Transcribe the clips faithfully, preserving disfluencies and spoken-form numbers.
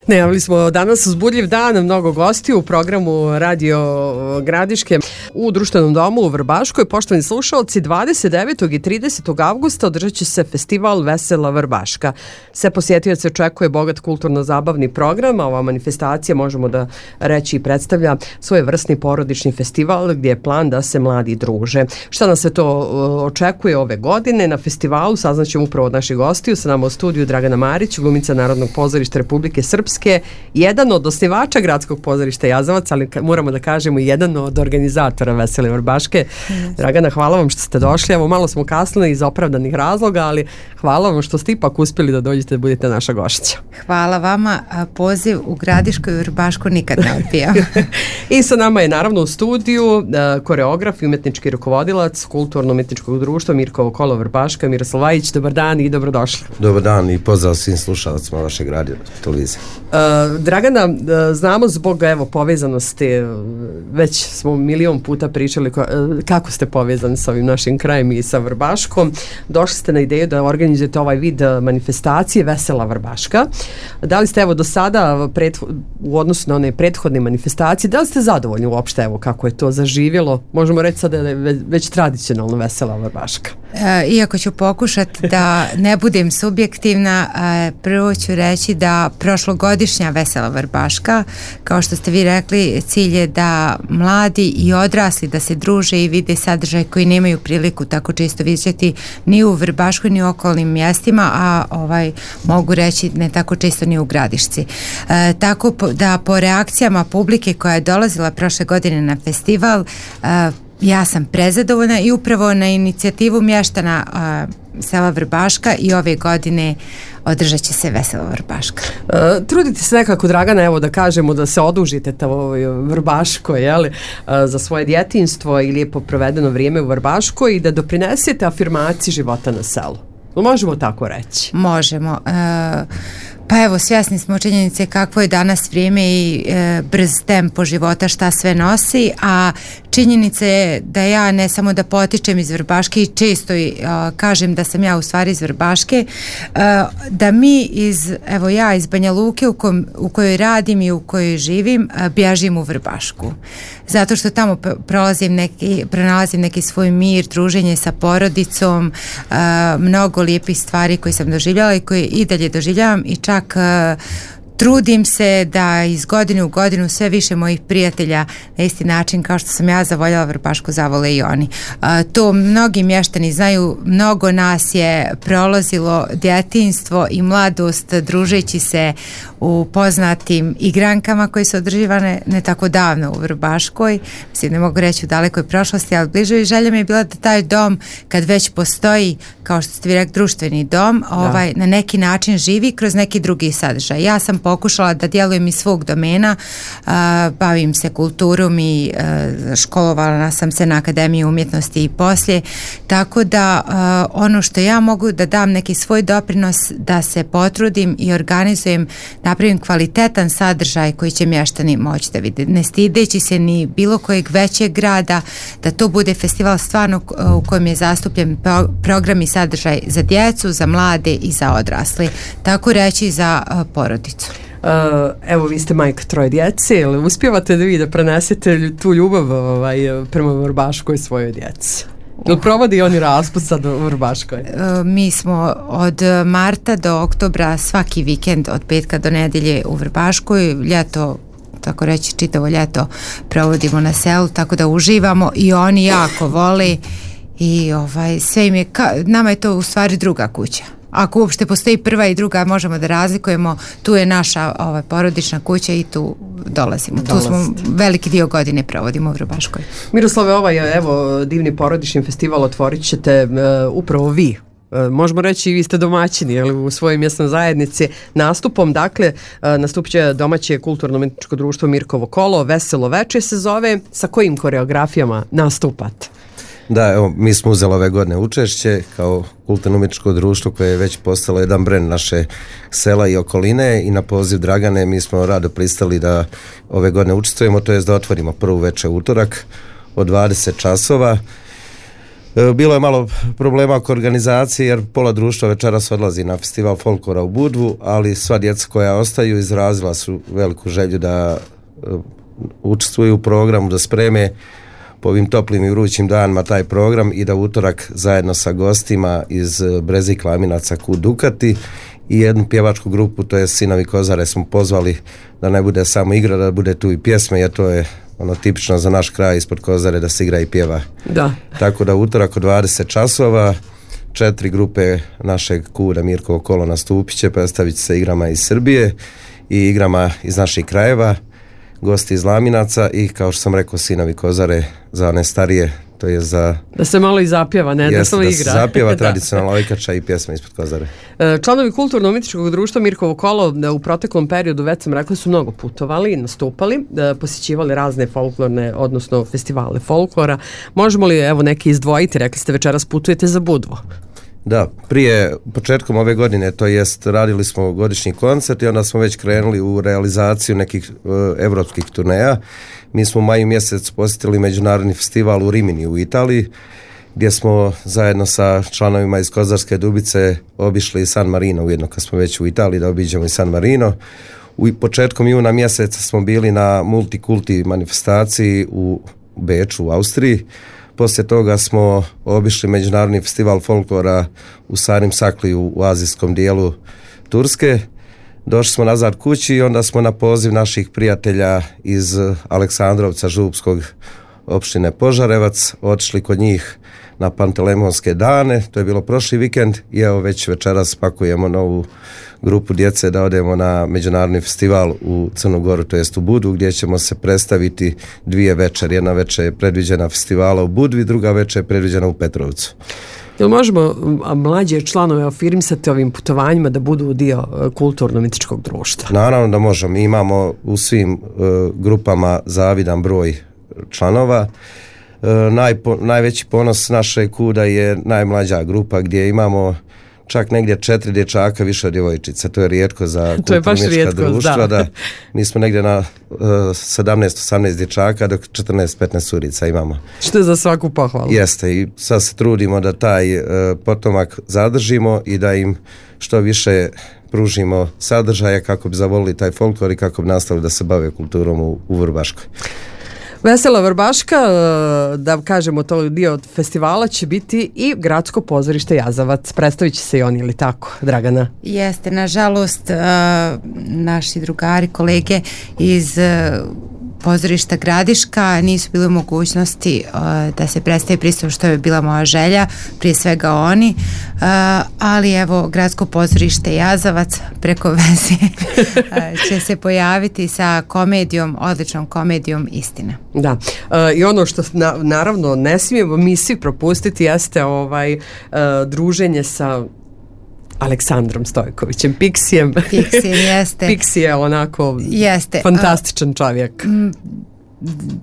Najavili smo danas uzbudljiv dan, mnogo gostiju u programu Radio Gradiške u društvenom domu u Vrbaškoj. Poštovani slušalci, dvadeset devetog i tridesetog avgusta održat će se festival Vesela Vrbaška. Sve posjetioce očekuje bogat kulturno-zabavni program, a ova manifestacija, možemo da reći, predstavlja svojevrsni porodični festival gdje je plan da se mladi druže. Šta nas sve to očekuje ove godine na festivalu saznaćemo upravo od naših gostiju. Sa nama u studiju Dragana Marić, glumica Narodnog pozorišta Republike Srpske, jedan od osnivača Gradskog pozorišta Jazavac, ali moramo da kažemo i jedan od organizatora Vesele Vrbaške. Yes. Dragana, hvala vam što ste došli. Evo, malo smo kasnili iz opravdanih razloga, ali hvala vam što ste ipak uspjeli da dođete da budete naša gošća. Hvala vama. Poziv u Gradišku i Vrbašku nikad ne odbijam. I sa nama je naravno u studiju koreograf i umetnički rukovodilac Kulturno-umetničkog društva Mirkovo kolo Vrbaška, Miroslav Vajić. Dobar dan i dobrodošli. Dobar dan i pozdrav svim slušalcima vašeg radio televizije. Uh, Dragana, uh, znamo zbog evo povezanosti, već smo milion puta pričali ko, uh, kako ste povezani sa ovim našim krajem i sa Vrbaškom. Došli ste na ideju da organizujete ovaj vid manifestacije Vesela Vrbaška. Da li ste evo do sada pret, u odnosu na one prethodne manifestacije, da li ste zadovoljni uopšte evo kako je to zaživjelo? Možemo reći sada da je već, već tradicionalno Vesela Vrbaška. E, iako ću pokušati da ne budem subjektivna, e, prvo ću reći da prošlogodišnja Vesela Vrbaška, kao što ste vi rekli, cilj je da mladi i odrasli da se druže i vide sadržaj koji nemaju priliku tako često vidjeti ni u Vrbaškoj ni u okolnim mjestima, a ovaj mogu reći ne tako često ni u Gradišci. E, tako po, da po reakcijama publike koja je dolazila prošle godine na festival, e, ja sam prezadovoljna i upravo na inicijativu mještana a, sela Vrbaška i ove godine održat će se Vesela Vrbaška. Uh, trudite se nekako, Dragana, evo da kažemo da se odužite ovoj Vrbaškoj, jeli, uh, za svoje djetinjstvo i lijepo provedeno vrijeme u Vrbaškoj i da doprinesete afirmaciji života na selu. Možemo tako reći? Možemo. Uh, Pa evo, svjesni smo činjenice kakvo je danas vrijeme i e, brz tempo života šta sve nosi, a činjenica je da ja ne samo da potičem iz Vrbaške i često i, a, kažem da sam ja u stvari iz Vrbaške, a, da mi iz, evo ja iz Banja Luke u, kom, u kojoj radim i u kojoj živim, a, bježim u Vrbašku. Zato što tamo prolazim neki, pronalazim neki svoj mir, druženje sa porodicom, a, mnogo lijepih stvari koje sam doživljala i koje i dalje doživljavam i čak Uh, trudim se da iz godine u godinu sve više mojih prijatelja na isti način kao što sam ja zavoljala Vrbašku zavole i oni. Uh, to mnogi mještani znaju, mnogo nas je prolazilo djetinjstvo i mladost družeći se u poznatim igrankama koje su održivane ne tako davno u Vrbaškoj, mislim ne mogu reći u dalekoj prošlosti, ali bliže i želja mi je bila da taj dom kad već postoji, kao što ste vi rekli, društveni dom, ovaj, na neki način živi kroz neki drugi sadržaj. Ja sam pokušala da djelujem iz svog domena, uh, bavim se kulturom i uh, školovala sam se na Akademiji umjetnosti i poslije, tako da uh, ono što ja mogu da dam neki svoj doprinos da se potrudim i organizujem, napravim kvalitetan sadržaj koji će mještani moći da vide, ne stideći se ni bilo kojeg većeg grada, da to bude festival stvarno u kojem je zastupljen program i sadržaj za djecu, za mlade i za odrasli, tako reći za uh, porodicu. Uh, evo, vi ste majka troje djece, ili uspijevate da vi da prenesete tu ljubav ovaj, prema Vrbaškoj svojoj djeci? Ili provodi oni raspust sad u Vrbaškoj? Uh, mi smo od marta do oktobra svaki vikend od petka do nedjelje u Vrbaškoj, ljeto, tako reći čitavo ljeto provodimo na selu, tako da uživamo i oni jako vole i ovaj, sve im je, ka, nama je to u stvari druga kuća. Ako uopšte postoji prva i druga, možemo da razlikujemo, tu je naša ovaj, porodična kuća i tu dolazimo. Tu smo veliki dio godine provodimo u Vrbaškoj. Miroslave, ovaj evo divni porodični festival otvorit ćete uh, upravo vi. Uh, možemo reći i vi ste domaćini, jel, u svojoj mjesnoj zajednici nastupom, dakle uh, nastupit će domaće kulturno-umetničko društvo Mirkovo kolo, Veselo veče se zove. Sa kojim koreografijama nastupate? Da, evo, mi smo uzeli ove godine učešće kao kulturno-umetničko društvo koje je već postalo jedan brend naše sela i okoline i na poziv Dragane mi smo rado pristali da ove godine učestvujemo, to jest da otvorimo prvu večer utorak od dvadeset časova. Bilo je malo problema oko organizacije jer pola društva večeras odlazi na festival folklora u Budvu, ali sva djeca koja ostaju izrazila su veliku želju da učestvuju u programu, da spreme po ovim toplim i vrućim danima taj program i da utorak zajedno sa gostima iz Breze i Klaminaca Kud Dukati i jednu pjevačku grupu, to je Sinovi Kozare, smo pozvali da ne bude samo igra, da bude tu i pjesme, jer to je ono tipično za naš kraj ispod Kozare da se igra i pjeva. Da. Tako da utorak od dvadeset časova četiri grupe našeg Kuda Mirkovo kolo nastupit će, predstavit će se igrama iz Srbije i igrama iz naših krajeva, gosti iz Laminaca i kao što sam rekao Sinovi Kozare za one starije, to je za... Da se malo i zapjeva, ne? Jest, da samo da igra. se zapjeva tradicionalna ojkača i pjesma ispod Kozare. Članovi kulturno-umjetničkog društva Mirkovo kolo u proteklom periodu, već sam rekla, su mnogo putovali, nastupali, posjećivali razne folklorne, odnosno festivale folklora. Možemo li evo neki izdvojiti? Rekli ste večeras putujete za Budvu. Da, prije, početkom ove godine, to jest radili smo godišnji koncert i onda smo već krenuli u realizaciju nekih uh, evropskih turneja. Mi smo u maju mjesec posjetili međunarodni festival u Rimini u Italiji, gdje smo zajedno sa članovima iz Kozarske Dubice obišli San Marino, ujedno kad smo već u Italiji da obiđemo i San Marino. U početkom juna mjeseca smo bili na multikulti manifestaciji u Beču u Austriji. Poslije toga smo obišli međunarodni festival folklora u Sarim Sakliju u azijskom dijelu Turske. Došli smo nazad kući i onda smo na poziv naših prijatelja iz Aleksandrovca Župskog opštine Požarevac otišli kod njih na Pantelemonske dane. To je bilo prošli vikend i evo već večeras pakujemo novu grupu djece da odemo na međunarodni festival u Crnu Goru, to jest u Budvu, gdje ćemo se predstaviti dvije večer. Jedna večer je predviđena festivala u Budvi, druga večer je predviđena u Petrovcu. Jel možemo mlađe članove afirmisati ovim putovanjima da budu dio kulturno-umjetničkog društva? Naravno da možemo. Mi imamo u svim uh, grupama zavidan broj članova. Uh, najpo, najveći ponos našeg Kuda je najmlađa grupa gdje imamo čak negdje četiri dječaka više od djevojčica. To je rijetko za kulturno-umjetnička društva. Da. Da, mi smo negdje na uh, sedamnaest osamnaest dječaka dok četrnaest petnaest curica imamo. Što je za svaku pohvalu. Jeste i sad se trudimo da taj uh, potomak zadržimo i da im što više pružimo sadržaja kako bi zavolili taj folklor i kako bi nastavili da se bave kulturom u, u Vrbaškoj. Vesela Vrbaška, da kažemo to dio od festivala, će biti i gradsko pozorište Jazavac. Predstavit će se i oni, ili tako, Dragana? Jeste, nažalost, naši drugari, kolege iz pozorišta Gradiška nisu bili u mogućnosti uh, da se predstavi pristup, što je bila moja želja, prije svega oni, uh, ali evo gradsko pozorište Jazavac preko veze uh, će se pojaviti sa komedijom, odličnom komedijom Istina. Da, uh, i ono što na, naravno ne smijemo mi svi propustiti jeste ovaj uh, druženje sa Aleksandrom Stojkovićem, Piksijem. Piksijem, jeste. Piksi je onako jeste. fantastičan čovjek. M,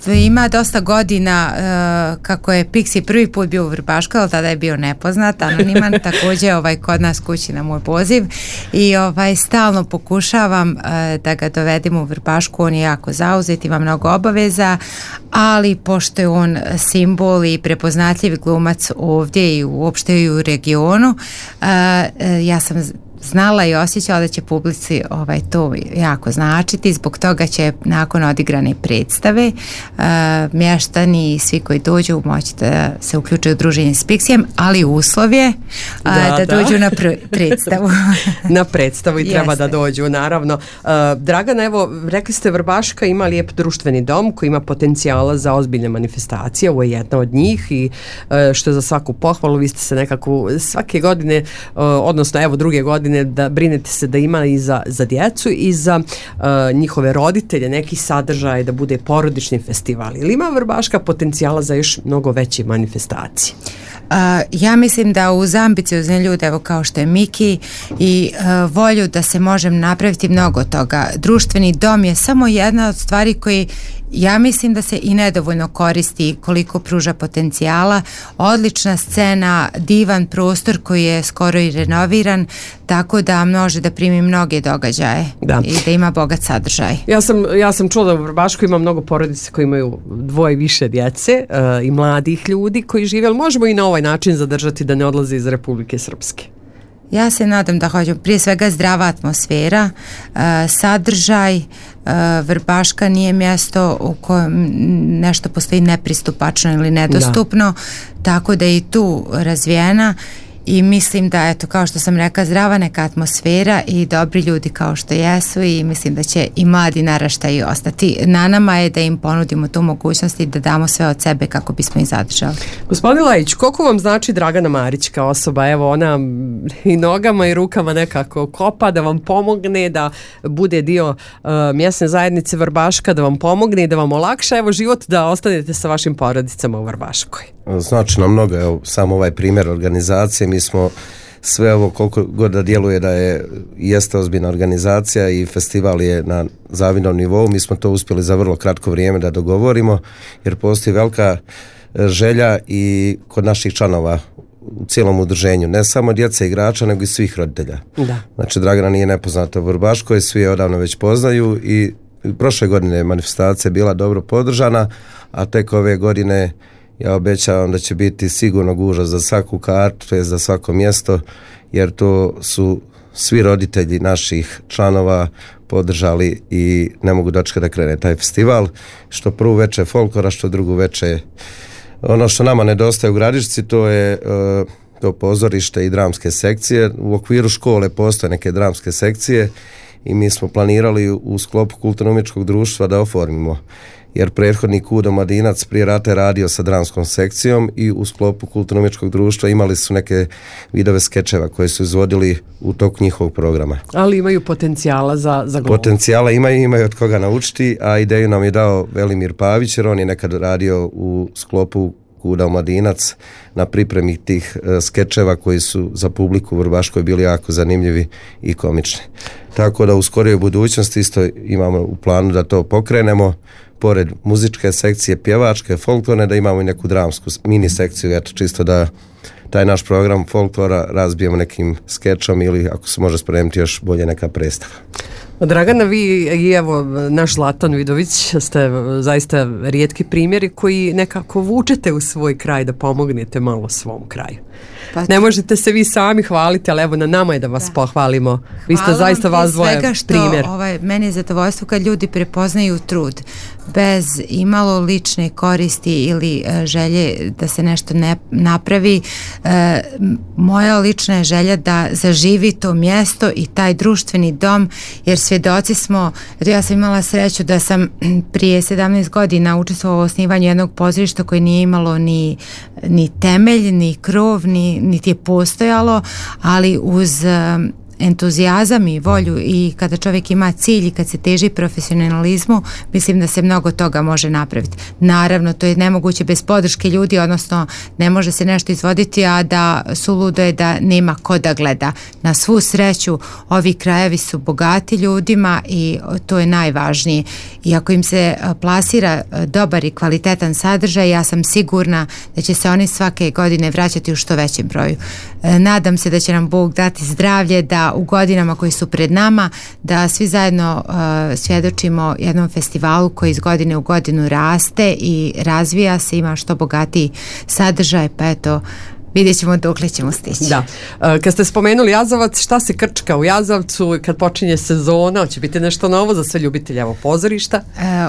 ima dosta godina uh, kako je Piksi prvi put bio u Vrbaškoj, ali tada je bio nepoznat, anoniman, također ovaj, kod nas kući na moj poziv i ovaj, stalno pokušavam uh, da ga dovedem u Vrbašku. On je jako zauzet, ima mnogo obaveza, ali pošto je on simbol i prepoznatljiv glumac ovdje i uopšte i u regionu, uh, ja sam znala i osjećala da će publici ovaj, to jako značiti, zbog toga će nakon odigrane predstave uh, mještani i svi koji dođu moći da se uključuju u druženje s Piksijem, ali uslov je uh, da, da, da dođu na pr- predstavu. Na predstavu i treba da dođu, naravno. Uh, Dragana, evo, rekli ste Vrbaška ima lijep društveni dom koji ima potencijala za ozbiljne manifestacije, ovo je jedna od njih i uh, što je za svaku pohvalu, vi ste se nekako svake godine, uh, odnosno evo druge godine, da brinete se da ima i za, za djecu i za uh, njihove roditelje neki sadržaj, da bude porodični festival. Ili ima Vrbaška potencijala za još mnogo veće manifestacije? Uh, ja mislim da uz ambiciozne ljude, evo kao što je Miki, i uh, volju da se može napraviti mnogo toga. Društveni dom je samo jedna od stvari koji ja mislim da se i nedovoljno koristi koliko pruža potencijala. Odlična scena, divan prostor koji je skoro i renoviran, tako da može da primi mnoge događaje da. I da ima bogat sadržaj. Ja sam, ja sam čula da u Vrbaškoj ima mnogo porodice koji imaju dvoje i više djece uh, i mladih ljudi koji žive, ali možemo i na ovaj način zadržati da ne odlaze iz Republike Srpske. Ja se nadam da hoćemo, prije svega zdrava atmosfera, uh, sadržaj, uh, Vrbaška nije mjesto u kojem nešto postoji nepristupačno ili nedostupno, da. Tako da je i tu razvijena i mislim da, eto, kao što sam rekla, zdrava neka atmosfera i dobri ljudi kao što jesu i mislim da će i mladi naraštaji ostati. Na nama je da im ponudimo tu mogućnost i da damo sve od sebe kako bismo ih zadržali. Gospodin Lajić, koliko vam znači Dragana Marić kao osoba? Evo, ona i nogama i rukama nekako kopa da vam pomogne, da bude dio uh, mjesne zajednice Vrbaška, da vam pomogne i da vam olakša, evo, život da ostanete sa vašim porodicama u Vrbaškoj. Znači nam mnogo, evo, samo ovaj primjer organizacije, mi smo sve ovo koliko god da djeluje da je jeste ozbiljna organizacija i festival je na zavidnom nivou, mi smo to uspjeli za vrlo kratko vrijeme da dogovorimo, jer postoji velika želja i kod naših članova u cijelom udruženju, ne samo djece igrača, nego i svih roditelja. Da. Znači, Dragana nije nepoznata u Vrbaškoj, svi je odavno već poznaju i prošle godine manifestacija bila dobro podržana, a tek ove godine ja obećavam da će biti sigurno gužva za svaku kartu, to je za svako mjesto, jer to su svi roditelji naših članova podržali i ne mogu dočekati da krene taj festival, što prvu veče folklora, što drugu veče. Ono što nama nedostaje u Gradišci, to je uh, to pozorište i dramske sekcije. U okviru škole postoje neke dramske sekcije i mi smo planirali u sklopu kulturno-umjetničkog društva da oformimo, jer prethodnik Udo Madinac prije rata je radio sa dramskom sekcijom i u sklopu kulturno-umjetničkog društva imali su neke vidove skečeva koje su izvodili u toku njihovog programa. Ali imaju potencijala za, za glumu. Potencijala imaju, imaju od koga naučiti, a ideju nam je dao Velimir Pavić, jer on je nekad radio u sklopu Udo Madinac na pripremi tih uh, skečeva koji su za publiku u Vrbaškoj bili jako zanimljivi i komični. Tako da u skorijoj budućnosti isto imamo u planu da to pokrenemo, pored muzičke sekcije, pjevačke, folklorne, da imamo i neku dramsku mini sekciju, eto, čisto da taj naš program folklora razbijemo nekim skečom ili ako se može spremiti još bolje neka predstava. Dragana, vi i evo naš Zlatan Vidović ste zaista rijetki primjeri koji nekako vučete u svoj kraj da pomognete malo svom kraju. Pa ne možete se vi sami hvaliti, ali evo na nama je da vas da. pohvalimo. Vi ste zaista vas dvoje primjer. Ovaj, meni je zadovoljstvo kad ljudi prepoznaju trud bez imalo lične koristi ili e, želje da se nešto ne napravi. E, moja lična je želja da zaživi to mjesto i taj društveni dom, jer svjedoci smo, ja sam imala sreću da sam prije sedamnaest godina učestvovala u osnivanju jednog pozorišta koje nije imalo ni, ni temelj, ni krov, ni, niti je postojalo, ali uz entuzijazam i volju i kada čovjek ima cilj i kad se teži profesionalizmu, mislim da se mnogo toga može napraviti. Naravno, to je nemoguće bez podrške ljudi, odnosno ne može se nešto izvoditi, a da suludo je da nema ko da gleda. Na svu sreću, ovi krajevi su bogati ljudima i to je najvažnije. I ako im se plasira dobar i kvalitetan sadržaj, ja sam sigurna da će se oni svake godine vraćati u što većem broju. Nadam se da će nam Bog dati zdravlje, da u godinama koji su pred nama, da svi zajedno uh, svjedočimo jednom festivalu koji iz godine u godinu raste i razvija se, ima što bogatiji sadržaj, pa eto, vidjet ćemo dokle ćemo stići. Da. Kad ste spomenuli Jazavac, šta se krčka u Jazavcu kad počinje sezona? Hoće biti nešto novo za sve ljubitelje evo pozorišta?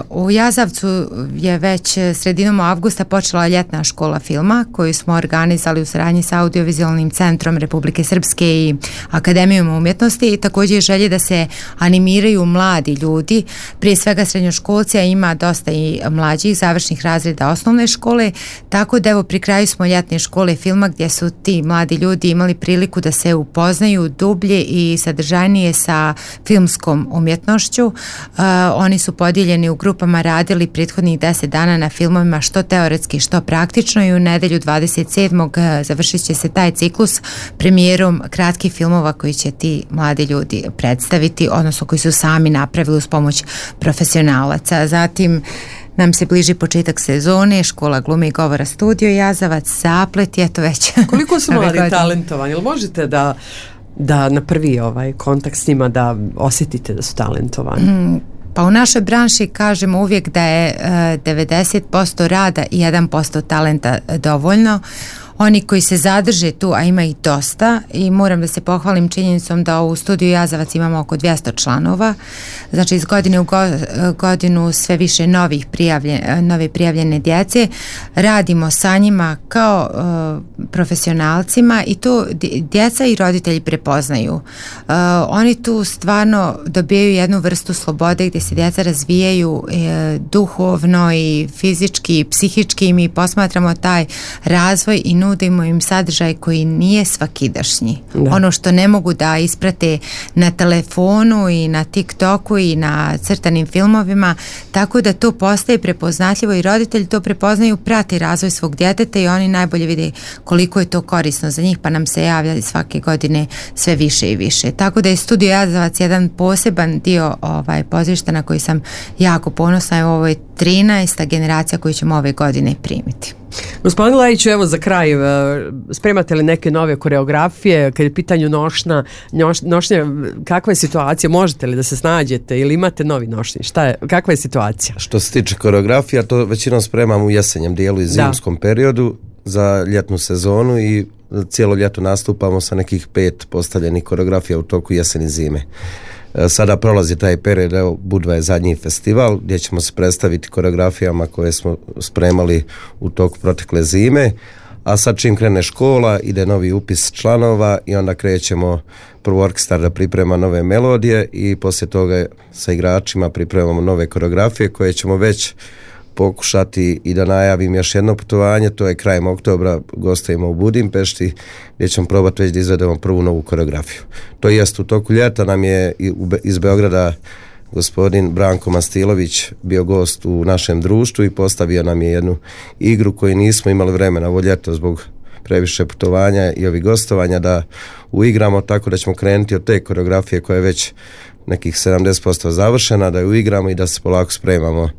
U Jazavcu je već sredinom avgusta počela ljetna škola filma koju smo organizali u saradnji sa Audiovizualnim centrom Republike Srpske i Akademijom umjetnosti i također želje da se animiraju mladi ljudi, prije svega srednjoškolci, a ima dosta i mlađih završnih razreda osnovne škole, tako da evo pri kraju smo ljetne škole filma gdje su ti mladi ljudi imali priliku da se upoznaju dublje i sadržajnije sa filmskom umjetnošću. Uh, oni su podijeljeni u grupama, radili prethodnih deset dana na filmovima što teoretski, što praktično i u nedelju dvadeset sedmog završit će se taj ciklus premijerom kratkih filmova koji će ti mladi ljudi predstaviti, odnosno koji su sami napravili uz pomoć profesionalaca. Zatim nam se bliži početak sezone, škola glume i govora Studio Jazavac, Zaplet je to već. Koliko su mladi talentovani? Jel možete da, da na prvi ovaj kontakt s njima da osjetite da su talentovani? Mm. Pa u našoj branši kažemo uvijek da je uh, devedeset posto rada i jedan posto talenta dovoljno. Oni koji se zadrže tu, a ima ih dosta, i moram da se pohvalim činjenicom da u Studiju Jazavac imamo oko dvjesto članova, znači iz godine u go, godinu sve više novih prijavlje, nove prijavljene djece, radimo sa njima kao uh, profesionalcima i tu djeca i roditelji prepoznaju. Uh, oni tu stvarno dobijaju jednu vrstu slobode gdje se djeca razvijaju uh, duhovno i fizički i psihički, i mi posmatramo taj razvoj i nudimo im sadržaj koji nije svakidašnji. Da. Ono što ne mogu da isprate na telefonu i na TikToku i na crtanim filmovima, tako da to postaje prepoznatljivo i roditelji to prepoznaju, prate razvoj svog djeteta i oni najbolje vide koliko je to korisno za njih, pa nam se javlja svake godine sve više i više. Tako da je Studio Jazavac jedan poseban dio ovaj, pozorišta na koji sam jako ponosna, i ovo je trinaesta generacija koju ćemo ove godine primiti. Gospodin Lejiću, evo za kraj, spremate li neke nove koreografije kad je pitanju nošnja, noš, nošnja, kakva je situacija, možete li da se snađete ili imate novi nošnji, šta je, kakva je situacija? Što se tiče koreografija, to većinom spremamo u jesenjem dijelu i zimskom da. periodu za ljetnu sezonu, i cijelo ljeto nastupamo sa nekih pet postavljenih koreografija u toku jeseni i zime. Sada prolazi taj period, evo Budva je zadnji festival gdje ćemo se predstaviti koreografijama koje smo spremali u toku protekle zime, a sad čim krene škola ide novi upis članova i onda krećemo prvo orkestar da priprema nove melodije i poslije toga sa igračima pripremamo nove koreografije koje ćemo već pokušati i da najavim još jedno putovanje, to je krajem oktobra, gostujemo u Budimpešti gdje ćemo probati već da izvedemo prvu novu koreografiju. To jest u toku ljeta nam je iz Beograda gospodin Branko Mastilović bio gost u našem društvu i postavio nam je jednu igru koju nismo imali vremena ovo ljeto zbog previše putovanja i ovih gostovanja da uigramo, tako da ćemo krenuti od te koreografije koja je već nekih sedamdeset posto završena, da ju uigramo i da se polako spremamo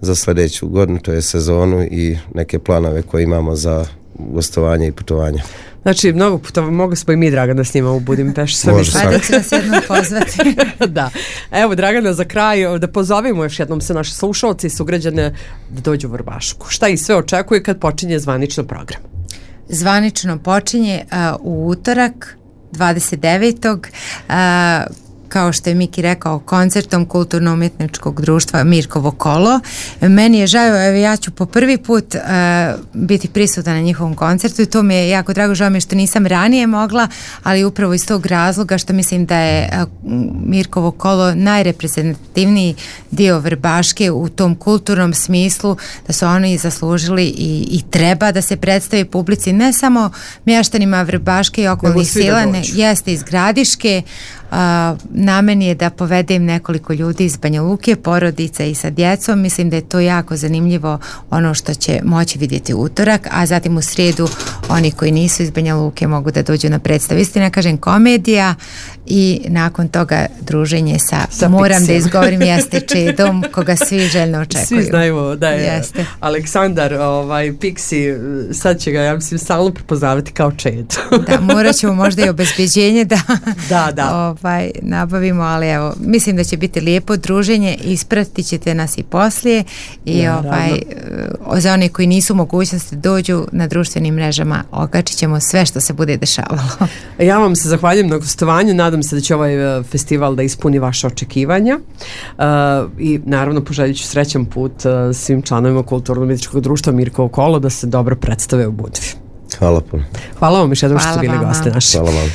za sljedeću godinu, to je sezonu i neke planove koje imamo za gostovanje i putovanje. Znači, mnogo puta mogu smo i mi, Dragana, s njima u Budimpešti. Može svakako. Ajde ću nas jednom pozvati. Da. Evo, Dragana, za kraj da pozovemo još jednom se naše slušalci i sugrađane da dođu u Vrbašku. Šta ih sve očekuje kad počinje zvanično program? Zvanično počinje uh, u utorak dvadeset devetog Uh, kao što je Miki rekao, koncertom Kulturno-umjetničkog društva Mirkovo kolo. Meni je žao, evo ja ću po prvi put uh, biti prisutna na njihovom koncertu i to mi je jako drago, žao mi je što nisam ranije mogla, ali upravo iz tog razloga što mislim da je uh, Mirkovo kolo najreprezentativniji dio Vrbaške u tom kulturnom smislu, da su oni zaslužili i, i treba da se predstavi publici, ne samo mještanima Vrbaške i okolnih sela, ne, jeste iz Gradiške. Uh, na meni je da povedem nekoliko ljudi iz Banja Luke, porodica i sa djecom. Mislim da je to jako zanimljivo, ono što će moći vidjeti utorak, a zatim u srijedu oni koji nisu iz Banja Luke mogu da dođu na predstavu. Istina, kažem, komedija i nakon toga druženje sa, sa moram Pixijom. Da izgovorim, jeste Čedom, koga svi željno očekuju. Svi znaju da je jeste. Aleksandar ovaj, Pixi, sad će ga, ja mislim, stalno prepoznavati kao Čed. Da, morat ćemo možda i obezbeđenje da, da, da. Ovaj, nabavimo, ali evo, mislim da će biti lijepo druženje, ispratit ćete nas i poslije i ja, ovaj, za one koji nisu u mogućnosti dođu na društvenim mrežama, okačit ćemo sve što se bude dešavalo. Ja vam se zahvaljujem na gostovanju, nadam se da će ovaj festival da ispuni vaše očekivanja uh, i naravno poželjit ću srećan put uh, svim članovima Kulturno-umjetničkog društva Mirkovo kolo da se dobro predstave u Budvi. Hvala puno. Hvala vam još jednom što ste bili gosti naši. Hvala vam.